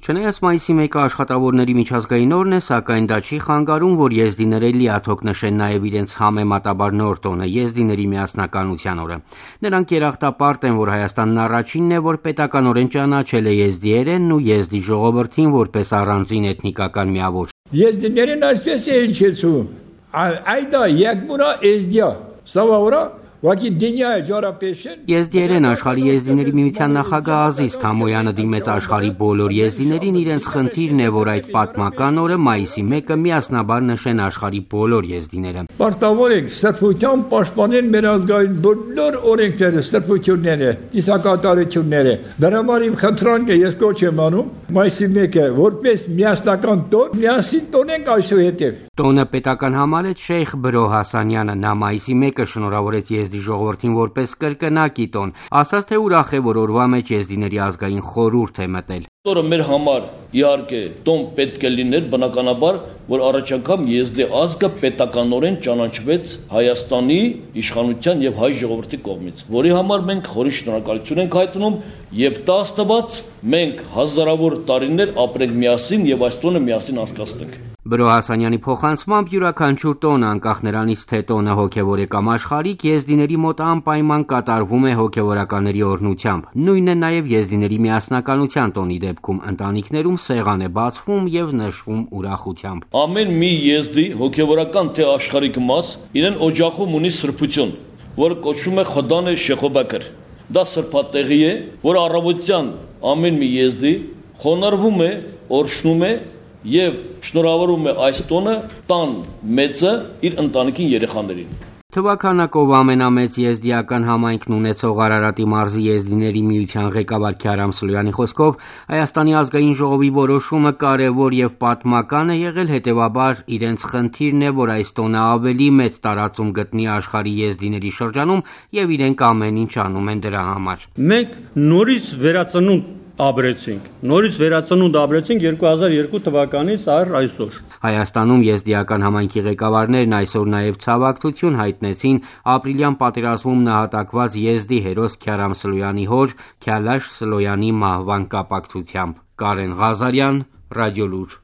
Չնայած մայիսի 1-ը աշխատավորների միջազգային օրն է, սակայն դա չի խանգարում, որ եզդիները լիաթոք նշեն նաև իրենց համեմատաբար նոր տոնը՝ եզդիների միասնականության օրը։ Նրանք երախտապարտ են, որ Հայաստանն առաջինն է, որ պետականորեն ճանաչել է եզդիերենն ու եզդի ժողովրդին որպես առանձին էթնիկական միավոր։ Եզդիներեն այսպես է հիշեցում. «Այդա եկմուրա եզդիա, սավաուրա Եզդիերեն աշխարհի եզդիների միության նախագահ Ազիզ Թամոյանը դիմեց աշխարհի բոլոր եզդիներին իրենց խնդիրն է, որ այդ պատմական օրը մայիսի 1-ը միասնաբար նշեն աշխարհի բոլոր եզդիները։ Պարտավոր ենք սրբության պաշտպանել մեր ազգային բոլոր օրենքները, սրբությունները, ծիսակատարությունները։ Դրա համար իմ խնդրանքը ես կոչ եմ անում մայիսի 1-ը որպես միասնական տոն, միասին տոնենք այսուհետև։ Տոնը պետական համարեց Շեյխ Բրո Հասանյանը, նա մայիսի 1-ը շնորհավորեց եզդի ժողովրդին որպես կրկնակի տոն, ասաց, թե ուրախ է, որ օրվա մեջ եզդիների ազգային խորհուրդ է մտել։ Օրը մեր համար իհարկե տոն պետք է լիներ, բնականաբար, որ առաջ անգամ եզդի ազգը պետականորեն ճանաչվեց Հայաստանի իշխանության եւ հայ ժողովրդի կողմից, որի համար մենք խորին շնորհակալություն ենք հայտնում եւ տա Աստված մենք հազարավոր տարիներ ապրենք միասին եւ այս տոնը միասին անցկացնենք։ Բրո Հասանյանի փոխանցմամբ յուրաքանչյուր տոն, անկախ նրանից, թե տոնը հոգևոր է կամ աշխարհիկ, եզդիների մոտ անպայման կատարվում է հոգևորականների օրհնությամբ։ Նույնն է նաև եզդիների միասնականության տոնի դեպքում, ընտանիքներում սեղան է բացվում եւ նշվում ուրախությամբ։ Ամեն մի եզդի հոգևորական թե աշխարհիկ մաս իրեն օջախում ունի սրբություն, որը կոչվում է Խոդան Շեխոբակր։ Դա սրբատեղի է, որ առավոտյան ամեն մի եզդի խոնարհվում է, օրհնում է եւ շնորհավորում է այս տոնը տան մեծը իր ընտանիքին երեխաներին։ Թվականակով ամենամեծ եզդիական համայնքն ունեցող Արարատի մարզի եզդիների միության ղեկավար Քյարամ Սլոյանի խոսքով Հայաստանի ազգային ժողովի որոշումը կարևոր եւ պատմական է եղել, հետեւաբար իրենց խնդիրն է, որ այս տոնը ավելի մեծ տարածում գտնի աշխարհի եզդիների շրջանում եւ իրենք ամեն ինչ անում են դրա համար։ Մենք նորից վերածնունդ ապրեցինք 2002 թվականից այսօր։ Հայաստանում եզդիական համայնքի ղեկավարներն այսօր նաև ցավակցություն հայտնեցին ապրիլյան պատերազմում նահատակված եզդի հերոս Քյարամ Սլոյանի հոր Քյալաշ Սլոյանի մահվան կապակցությամբ։ Կարեն Ղազարյան, Ռադիոլուր։